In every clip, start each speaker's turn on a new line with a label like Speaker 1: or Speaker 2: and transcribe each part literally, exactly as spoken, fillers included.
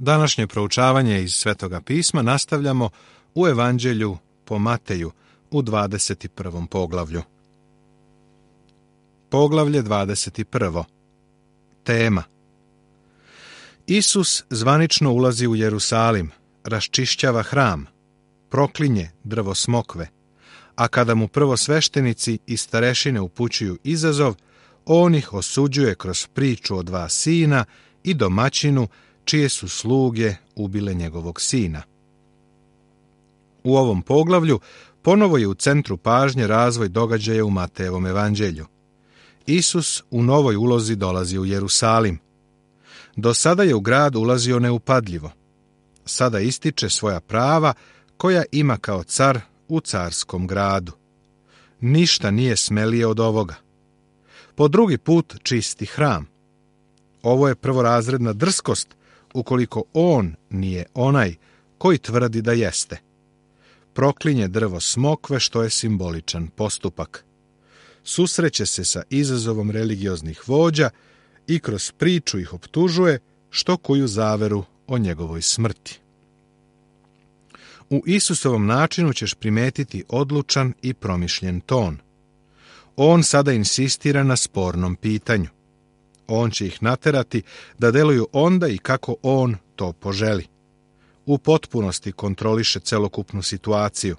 Speaker 1: Današnje proučavanje iz Svetoga pisma nastavljamo u Evanđelju po Mateju u dvadeset prvom poglavlju. Poglavlje dvadeset prvo. Tema: Isus zvanično ulazi u Jerusalim, raščišćava hram, proklinje drvo smokve, a kada mu prvosveštenici i starešine upućuju izazov, on ih osuđuje kroz priču o dva sina i domaćinu čije su sluge ubile njegovog sina. U ovom poglavlju ponovo je u centru pažnje razvoj događaja u Matejevom evanđelju. Isus u novoj ulozi dolazi u Jerusalim. Do sada je u grad ulazio neupadljivo. Sada ističe svoja prava koja ima kao car u carskom gradu. Ništa nije smelije od ovoga. Po drugi put čisti hram. Ovo je prvorazredna drskost ukoliko on nije onaj koji tvrdi da jeste. Proklinje drvo smokve, što je simboličan postupak. Susreće se sa izazovom religioznih vođa i kroz priču ih optužuje, što kuju zaveru o njegovoj smrti. U Isusovom načinu ćeš primetiti odlučan i promišljen ton. On sada insistira na spornom pitanju. On će ih naterati da deluju onda i kako on to poželi. U potpunosti kontroliše celokupnu situaciju.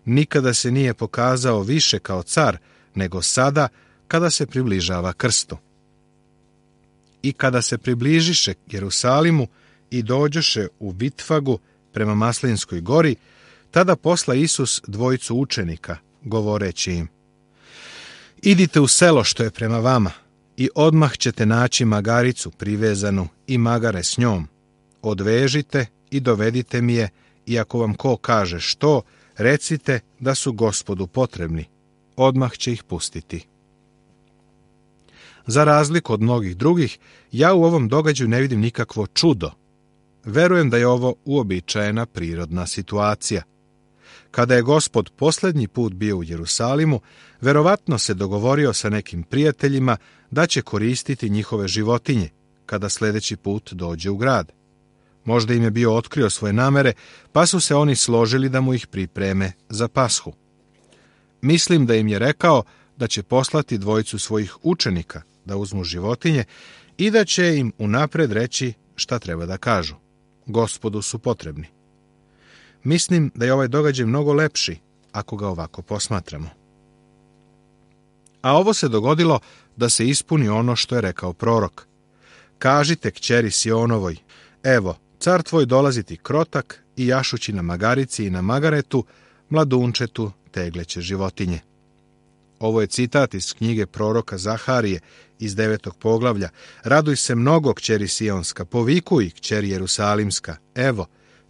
Speaker 1: Nikada se nije pokazao više kao car, nego sada kada se približava krstu. I kada se približiše Jerusalimu i dođoše u Vitfagu prema Maslinskoj gori, tada posla Isus dvojicu učenika, govoreći im: Idite u selo što je prema vama i odmah ćete naći magaricu privezanu i magare s njom. Odvežite i dovedite mi je, i ako vam ko kaže što, recite da su Gospodu potrebni. Odmah će ih pustiti. Za razliku od mnogih drugih, ja u ovom događaju ne vidim nikakvo čudo. Verujem da je ovo uobičajena prirodna situacija. Kada je Gospod posljednji put bio u Jerusalimu, verovatno se dogovorio sa nekim prijateljima da će koristiti njihove životinje kada sljedeći put dođe u grad. Možda im je bio otkrio svoje namere, pa su se oni složili da mu ih pripreme za Pashu. Mislim da im je rekao da će poslati dvojicu svojih učenika da uzmu životinje i da će im unapred reći šta treba da kažu. Gospodu su potrebni. Mislim da je ovaj događaj mnogo lepši ako ga ovako posmatramo. A ovo se dogodilo da se ispuni ono što je rekao prorok. Kažite kćeri Sionovoj, evo, car tvoj dolazi ti krotak i jašući na magarici i na magaretu, mladunčetu tegleće životinje. Ovo je citat iz knjige proroka Zaharije iz devetog poglavlja. Raduj se mnogo, kćeri Sionska, povikuj, kćeri Jerusalimska, evo,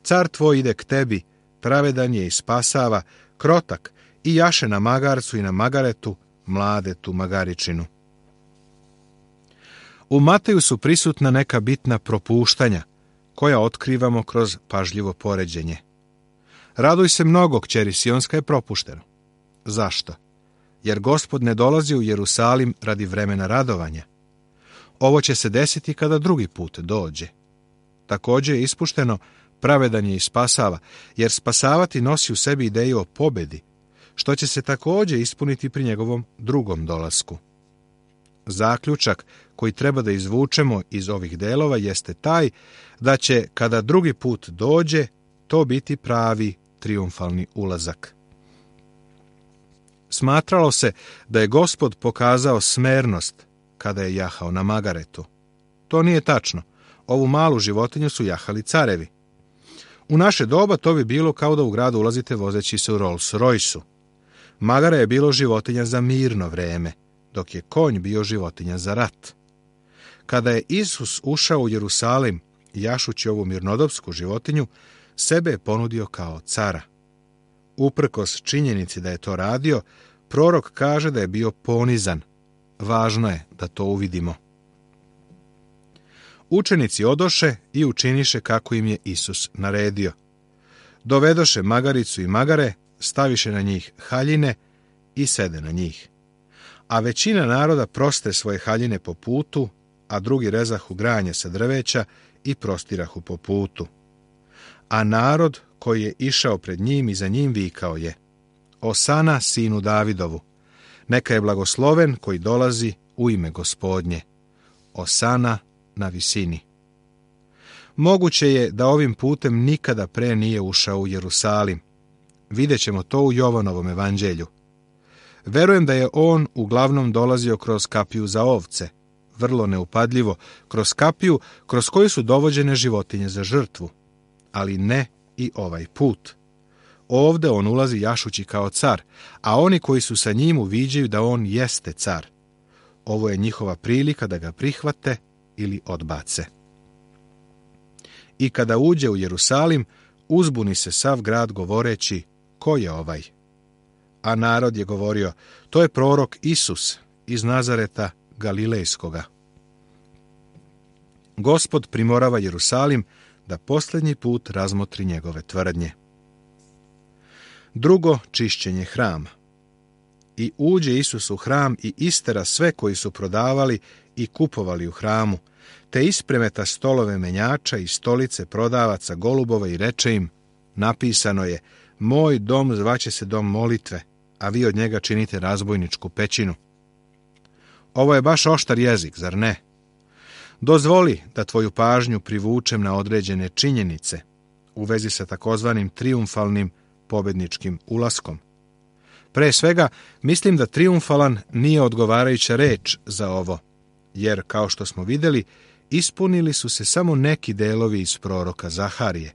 Speaker 1: car tvoj ide k tebi, pravedan je i spasava, krotak i jaše na magarcu i na magaretu, mladetu magaričinu. U Mateju su prisutna neka bitna propuštanja, koja otkrivamo kroz pažljivo poređenje. Raduj se mnogo, kćeri Sionska, je propušteno. Zašto? Jer Gospod ne dolazi u Jerusalim radi vremena radovanja. Ovo će se desiti kada drugi put dođe. Također je ispušteno pravedan je i spasava, jer spasavati nosi u sebi ideju o pobedi, što će se također ispuniti pri njegovom drugom dolasku. Zaključak koji treba da izvučemo iz ovih delova jeste taj da će, kada drugi put dođe, to biti pravi trijumfalni ulazak. Smatralo se da je Gospod pokazao smernost kada je jahao na magaretu. To nije tačno. Ovu malu životinju su jahali carevi. U naše doba to bi bilo kao da u gradu ulazite vozeći se u Rolls Royce-u. Magara je bilo životinja za mirno vreme, dok je konj bio životinja za rat. Kada je Isus ušao u Jerusalim, jašući ovu mirnodopsku životinju, sebe je ponudio kao cara. Uprkos činjenici da je to radio, prorok kaže da je bio ponizan. Važno je da to uvidimo. Učenici odoše i učiniše kako im je Isus naredio. Dovedoše magaricu i magare, staviše na njih haljine i sede na njih. A većina naroda proste svoje haljine po putu, a drugi rezahu granje sa drveća i prostirahu po putu. A narod koji je išao pred njim i za njim vikao je: Osana sinu Davidovu, neka je blagosloven koji dolazi u ime Gospodnje. Osana na visini. Moguće je da ovim putem nikada pre nije ušao u Jerusalim. Vidjet ćemo to u Jovanovom evanđelju. Verujem da je on uglavnom dolazio kroz kapiju za ovce, vrlo neupadljivo, kroz kapiju kroz koju su dovođene životinje za žrtvu, ali ne i ovaj put. Ovde on ulazi jašući kao car, a oni koji su sa njim uviđaju da on jeste car. Ovo je njihova prilika da ga prihvate ili odbace. I kada uđe u Jerusalim, uzbuni se sav grad govoreći: ko je ovaj? A narod je govorio: to je prorok Isus iz Nazareta Galilejskoga. Gospod primorava Jerusalim da posljednji put razmotri njegove tvrdnje. Drugo, čišćenje hrama. I uđe Isus u hram i istera sve koji su prodavali i kupovali u hramu, te ispremeta stolove menjača i stolice prodavaca golubova i reče im: napisano je: moj dom zvaće se dom molitve, a vi od njega činite razbojničku pećinu. Ovo je baš oštar jezik, zar ne? Dozvoli da tvoju pažnju privučem na određene činjenice u vezi sa takozvanim trijumfalnim pobedničkim ulaskom. Pre svega, mislim da trijumfalan nije odgovarajuća reč za ovo, jer, kao što smo vidjeli, ispunili su se samo neki delovi iz proroka Zaharije.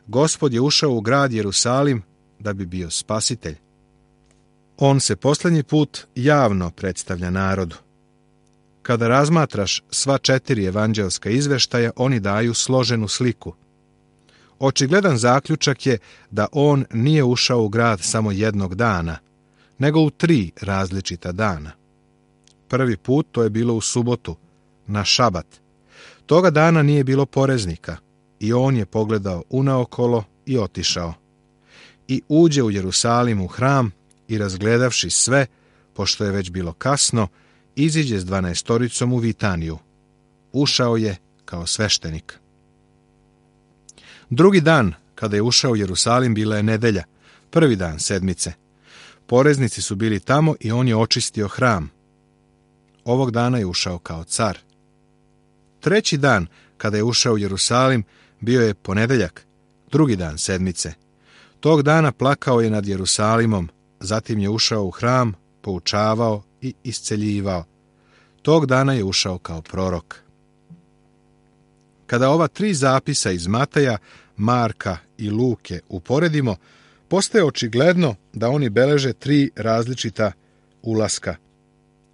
Speaker 1: Gospod je ušao u grad Jerusalim da bi bio spasitelj. On se posljednji put javno predstavlja narodu. Kada razmatraš sva četiri evanđelska izveštaja, oni daju složenu sliku. Očigledan zaključak je da on nije ušao u grad samo jednog dana, nego u tri različita dana. Prvi put to je bilo u subotu, na šabat. Toga dana nije bilo poreznika i on je pogledao unaokolo i otišao. I uđe u Jerusalim u hram i razgledavši sve, pošto je već bilo kasno, iziđe s dvanaestoricom u Vitaniju. Ušao je kao sveštenik. Drugi dan, kada je ušao u Jerusalim, bila je nedelja, prvi dan sedmice. Poreznici su bili tamo i on je očistio hram. Ovog dana je ušao kao car. Treći dan, kada je ušao u Jerusalim, bio je ponedeljak, drugi dan sedmice. Tog dana plakao je nad Jerusalimom, zatim je ušao u hram, poučavao i isceljivao. Tog dana je ušao kao prorok. Kada ova tri zapisa iz Mateja, Marka i Luke uporedimo, postaje očigledno da oni beleže tri različita ulaska.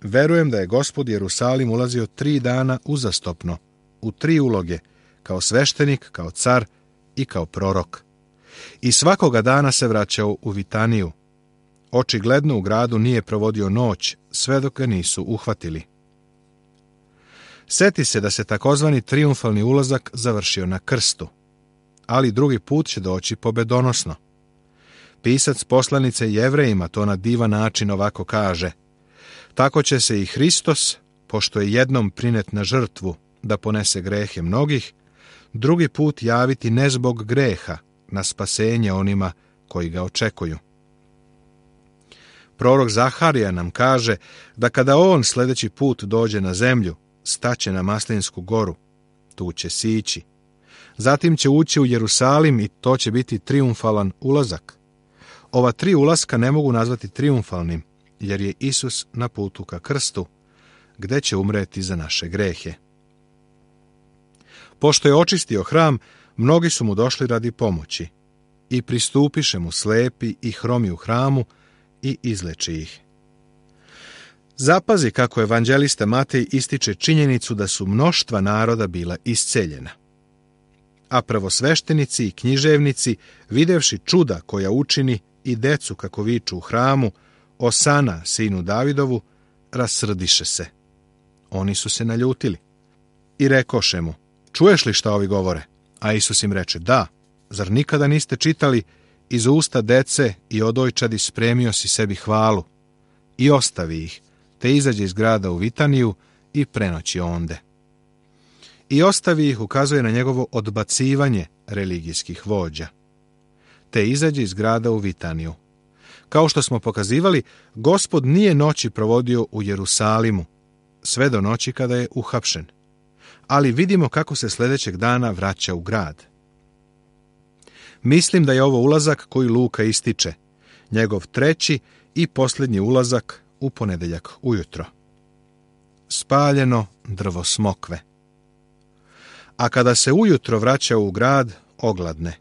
Speaker 1: Verujem da je Gospod Jerusalim ulazio tri dana uzastopno, u tri uloge, kao sveštenik, kao car i kao prorok. I svakoga dana se vraćao u Vitaniju. Očigledno u gradu nije provodio noć, sve dok ga nisu uhvatili. Seti se da se takozvani trijumfalni ulazak završio na krstu, ali drugi put će doći pobedonosno. Pisac poslanice Jevrejima to na divan način ovako kaže: tako će se i Hristos, pošto je jednom prinet na žrtvu da ponese grehe mnogih, drugi put javiti ne zbog greha, na spasenje onima koji ga očekuju. Prorok Zaharija nam kaže da kada on sljedeći put dođe na zemlju, staće na Maslinsku goru, tu će sići. Zatim će ući u Jerusalim i to će biti trijumfalan ulazak. Ova tri ulaska ne mogu nazvati trijumfalnim, jer je Isus na putu ka krstu, gde će umreti za naše grehe. Pošto je očistio hram, mnogi su mu došli radi pomoći i pristupiše mu slepi i hromi u hramu i izleči ih. Zapazi kako evanđelista Matej ističe činjenicu da su mnoštva naroda bila isceljena. A prvosveštenici i književnici, videvši čuda koja učini i decu kako viču u hramu, Osana sinu Davidovu, rasrdiše se. Oni su se naljutili i rekoše mu: čuješ li šta ovi govore? A Isus im reče: da, zar nikada niste čitali: iz usta dece i odojčadi spremio si sebi hvalu, i ostavi ih, te izađe iz grada u Vitaniju i prenoći onde. i ostavi ih ukazuje na njegovo odbacivanje religijskih vođa. Te izađe iz grada u Vitaniju. Kao što smo pokazivali, Gospod nije noći provodio u Jerusalimu, sve do noći kada je uhapšen. Ali vidimo kako se sljedećeg dana vraća u grad. Mislim da je ovo ulazak koji Luka ističe, njegov treći i posljednji ulazak u ponedeljak ujutro. Spaljeno drvo smokve. A kada se ujutro vraća u grad, ogladne.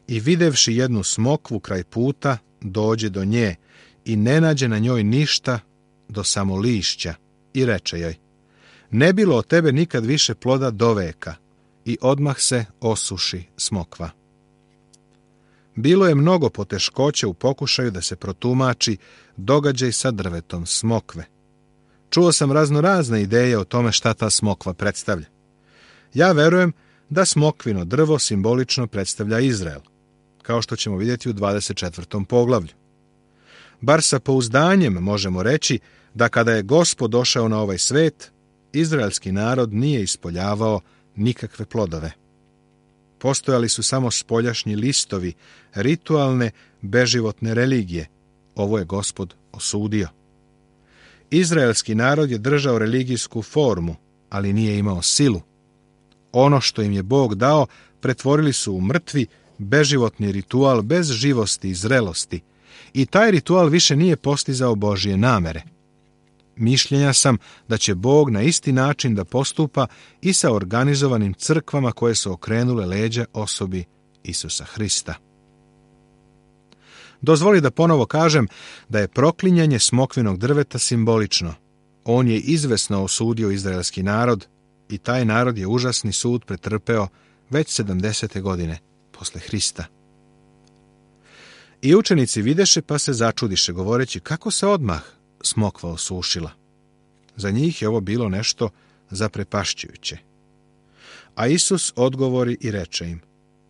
Speaker 1: I videvši jednu smokvu kraj puta, dođe do nje i ne nađe na njoj ništa do samo lišća i reče joj: ne bilo od tebe nikad više ploda do veka, i odmah se osuši smokva. Bilo je mnogo poteškoća u pokušaju da se protumači događaj sa drvetom smokve. Čuo sam razno razne ideje o tome šta ta smokva predstavlja. Ja verujem da smokvino drvo simbolično predstavlja Izrael, kao što ćemo vidjeti u dvadeset četvrtom poglavlju. Bar sa pouzdanjem možemo reći da kada je Gospod došao na ovaj svet, izraelski narod nije ispoljavao nikakve plodove. Postojali su samo spoljašnji listovi ritualne, beživotne religije. Ovo je Gospod osudio. Izraelski narod je držao religijsku formu, ali nije imao silu. Ono što im je Bog dao pretvorili su u mrtvi, beživotni ritual bez živosti i zrelosti, i taj ritual više nije postizao Božje namere. Mišljenja sam da će Bog na isti način da postupa i sa organizovanim crkvama koje su okrenule leđa osobi Isusa Hrista. Dozvoli da ponovo kažem da je proklinjanje smokvinog drveta simbolično. On je izvesno osudio izraelski narod i taj narod je užasni sud pretrpeo već sedamdesete godine posle Hrista. I učenici videše pa se začudiše, govoreći kako se odmah smokva osušila. Za njih je ovo bilo nešto zaprepašćujuće. A Isus odgovori i reče im: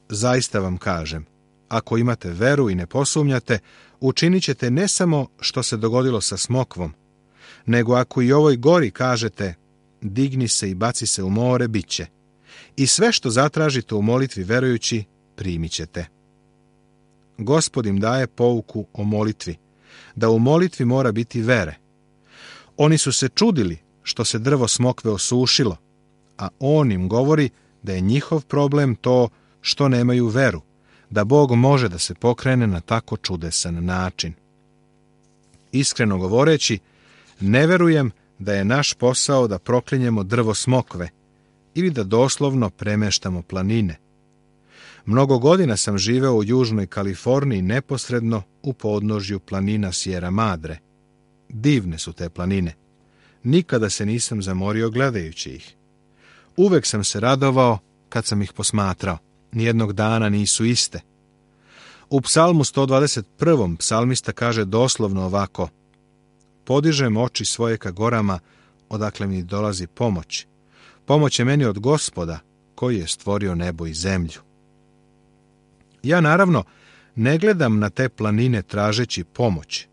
Speaker 1: zaista vam kažem, ako imate veru i ne posumnjate, učinit ćete ne samo što se dogodilo sa smokvom, nego ako i ovoj gori kažete: digni se i baci se u more, bit će. I sve što zatražite u molitvi verujući, primit ćete. Gospod im daje pouku o molitvi, da u molitvi mora biti vere. Oni su se čudili što se drvo smokve osušilo, a on im govori da je njihov problem to što nemaju veru, da Bog može da se pokrene na tako čudesan način. Iskreno govoreći, ne verujem da je naš posao da proklinjemo drvo smokve ili da doslovno premeštamo planine. Mnogo godina sam živeo u južnoj Kaliforniji, neposredno u podnožju planina Sierra Madre. Divne su te planine. Nikada se nisam zamorio gledajući ih. Uvek sam se radovao kad sam ih posmatrao. Nijednog dana nisu iste. U psalmu sto dvadeset prvom psalmista kaže doslovno ovako: podižem oči svoje ka gorama, odakle mi dolazi pomoć. Pomoć je meni od Gospoda, koji je stvorio nebo i zemlju. Ja naravno ne gledam na te planine tražeći pomoć.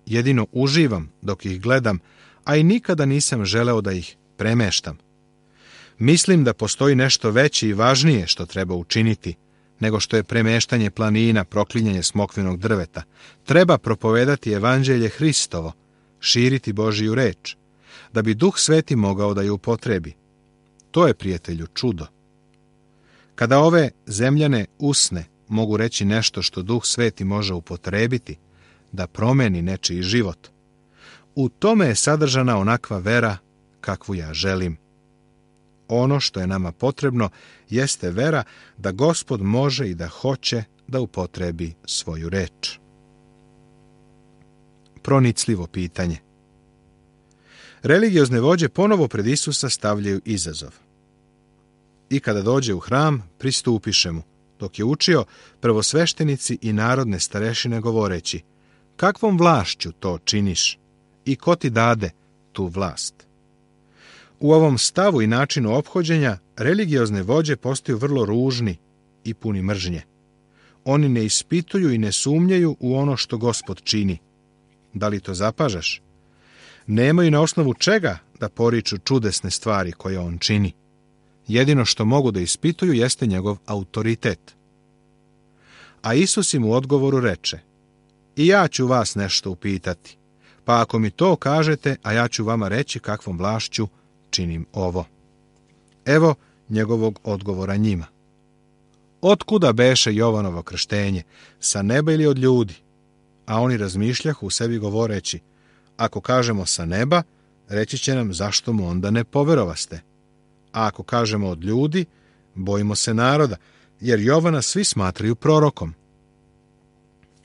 Speaker 1: Jedino uživam dok ih gledam, a i nikada nisam želeo da ih premeštam. Mislim da postoji nešto veće i važnije što treba učiniti, nego što je premeštanje planina, proklinjanje smokvinog drveta. Treba propovedati evanđelje Hristovo, širiti Božiju reč, da bi Duh Sveti mogao da ju upotrebi. To je, prijatelju, čudo. Kada ove zemljane usne mogu reći nešto što Duh Sveti može upotrebiti, da promeni nečiji život, u tome je sadržana onakva vera kakvu ja želim. Ono što je nama potrebno jeste vera da Gospod može i da hoće da upotrebi svoju reč. Pronicljivo pitanje. Religiozne vođe ponovo pred Isusa stavljaju izazov. I kada dođe u hram, pristupiše mu, dok je učio, prvosveštenici i narodne starešine govoreći: kakvom vlašću to činiš i ko ti dade tu vlast? U ovom stavu i načinu ophođenja religiozne vođe postaju vrlo ružni i puni mržnje. Oni ne ispituju i ne sumnjaju u ono što Gospod čini. Da li to zapažaš? Nemaju na osnovu čega da poriču čudesne stvari koje on čini. jedino što mogu da ispituju jeste njegov autoritet. A Isus im u odgovoru reče: I ja ću vas nešto upitati, pa ako mi to kažete, a ja ću vama reći kakvom vlašću činim ovo. Evo njegovog odgovora njima. Otkuda beše Jovanovo krštenje, sa neba ili od ljudi? A oni razmišljahu u sebi govoreći: Ako kažemo sa neba, reći će nam zašto mu onda ne poverovaste. A ako kažemo od ljudi, bojimo se naroda, jer Jovana svi smatraju prorokom.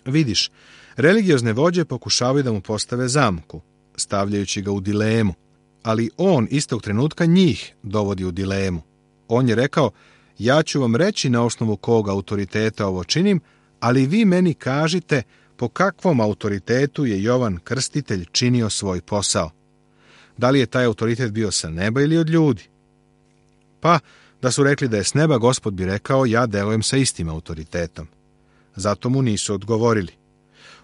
Speaker 1: Vidiš, religiozne vođe pokušavaju da mu postave zamku, stavljajući ga u dilemu, ali on istog trenutka njih dovodi u dilemu. On je rekao: Ja ću vam reći na osnovu kog autoriteta ovo činim, ali vi meni kažite po kakvom autoritetu je Jovan Krstitelj činio svoj posao. Da li je taj autoritet bio sa neba ili od ljudi? Pa, da su rekli da je s neba, Gospod bi rekao: Ja delujem sa istim autoritetom. Zato mu nisu odgovorili.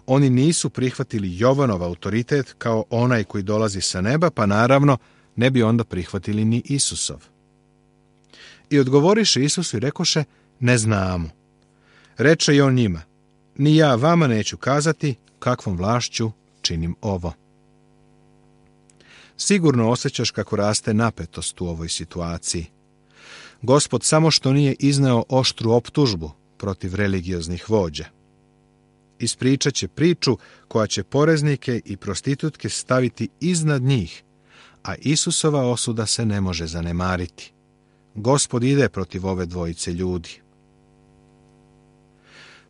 Speaker 1: Oni nisu prihvatili Jovanov autoritet kao onaj koji dolazi sa neba, pa naravno ne bi onda prihvatili ni Isusov. I odgovoriše Isusu i rekoše: Ne znamo. Reče i on njima: Ni ja vama neću kazati kakvom vlašću činim ovo. Sigurno osjećaš kako raste napetost u ovoj situaciji. Gospod samo što nije izneo oštru optužbu protiv religioznih vođa. Ispričat će priču koja će poreznike i prostitutke staviti iznad njih, a Isusova osuda se ne može zanemariti. Gospod ide protiv ove dvojice ljudi.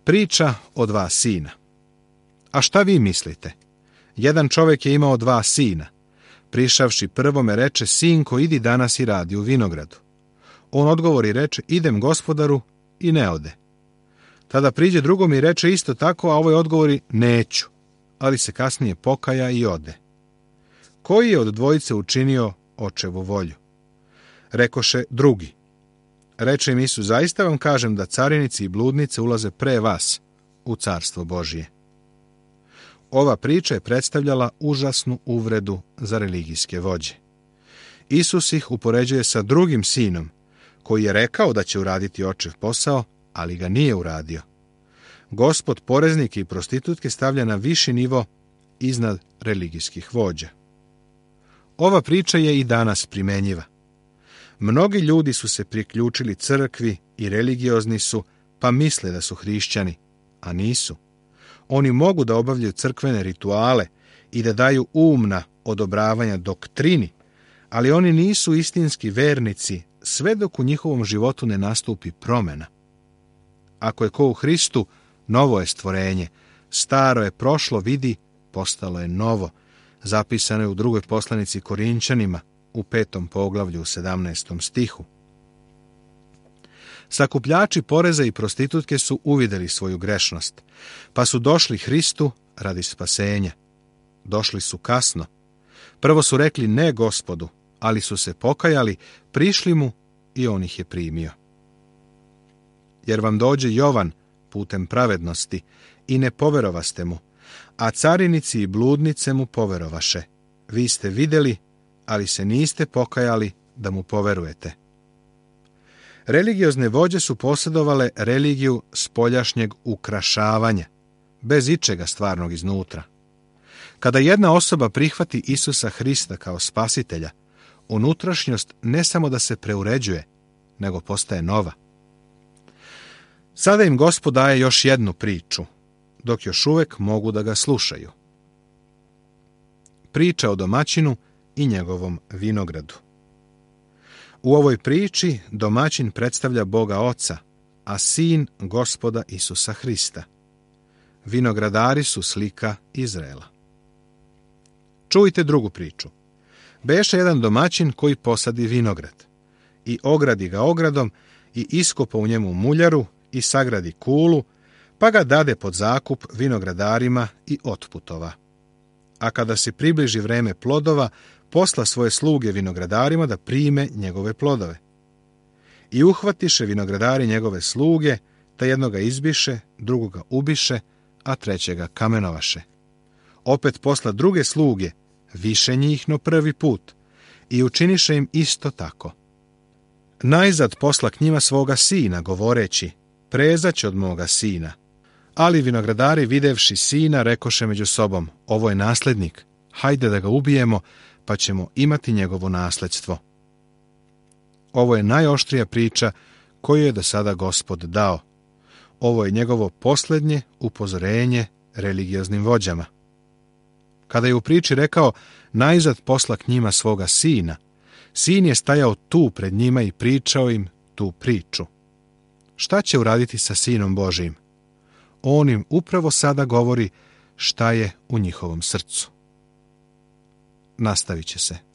Speaker 1: Priča o dva sina. A šta vi mislite? Jedan čovjek je imao dva sina. Prišavši prvome reče: Sinko, idi danas i radi u vinogradu. On odgovori i reče: Idem, gospodaru, i ne ode. Tada priđe drugom i reče isto tako, a ovaj odgovori: Neću, ali se kasnije pokaja i ode. Koji je od dvojice učinio očevu volju? Rekoše drugi. Reče im Isus: Zaista vam kažem da carinici i bludnice ulaze pre vas u carstvo Božije. Ova priča je predstavljala užasnu uvredu za religijske vođe. Isus ih upoređuje sa drugim sinom, koji je rekao da će uraditi očev posao, ali ga nije uradio. Gospod poreznike i prostitutke stavlja na viši nivo iznad religijskih vođa. Ova priča je i danas primenjiva. Mnogi ljudi su se priključili crkvi i religiozni su, pa misle da su hrišćani, a nisu. Oni mogu da obavljaju crkvene rituale i da daju umna odobravanja doktrini, ali oni nisu istinski vernici sve dok u njihovom životu ne nastupi promjena. Ako je ko u Hristu, novo je stvorenje, staro je prošlo, vidi, postalo je novo. Zapisano je u drugoj poslanici Korinčanima, u petom poglavlju u sedamnaestom stihu. Sakupljači poreza i prostitutke su uvidjeli svoju grešnost, pa su došli Hristu radi spasenja. Došli su kasno. Prvo su rekli ne Gospodu, ali su se pokajali, prišli mu i on ih je primio. Jer vam dođe Jovan putem pravednosti i ne poverovaste mu, a carinici i bludnice mu poverovaše. Vi ste vidjeli, ali se niste pokajali da mu poverujete. Religiozne vođe su posjedovale religiju spoljašnjeg ukrašavanja, bez ičega stvarnog iznutra. Kada jedna osoba prihvati Isusa Hrista kao spasitelja, unutrašnjost ne samo da se preuređuje, nego postaje nova. Sada im Gospod daje još jednu priču, dok još uvijek mogu da ga slušaju. Priča o domaćinu i njegovom vinogradu. U ovoj priči domaćin predstavlja Boga Oca, a sin Gospoda Isusa Hrista. Vinogradari su slika Izraela. Čujte drugu priču. Beše jedan domaćin koji posadi vinograd i ogradi ga ogradom i iskopa u njemu muljaru i sagradi kulu, pa ga dade pod zakup vinogradarima i otputova. A kada se približi vreme plodova, posla svoje sluge vinogradarima da prime njegove plodove. I uhvatiše vinogradari njegove sluge, ta jednoga izbiše, drugoga ubiše, a trećega kamenovaše. Opet posla druge sluge, više njih no prvi put, i učiniše im isto tako. Najzad posla k njima svoga sina, govoreći, prezać od moga sina. Ali vinogradari, videvši sina, rekoše među sobom, ovo je naslednik, hajde da ga ubijemo, pa ćemo imati njegovo nasledstvo. Ovo je najoštrija priča koju je do sada Gospod dao. Ovo je njegovo posljednje upozorenje religioznim vođama. Kada je u priči rekao, najzad posla k njima svoga sina, sin je stajao tu pred njima i pričao im tu priču. Šta će uraditi sa Sinom Božijim? On im upravo sada govori šta je u njihovom srcu. Nastavit će se.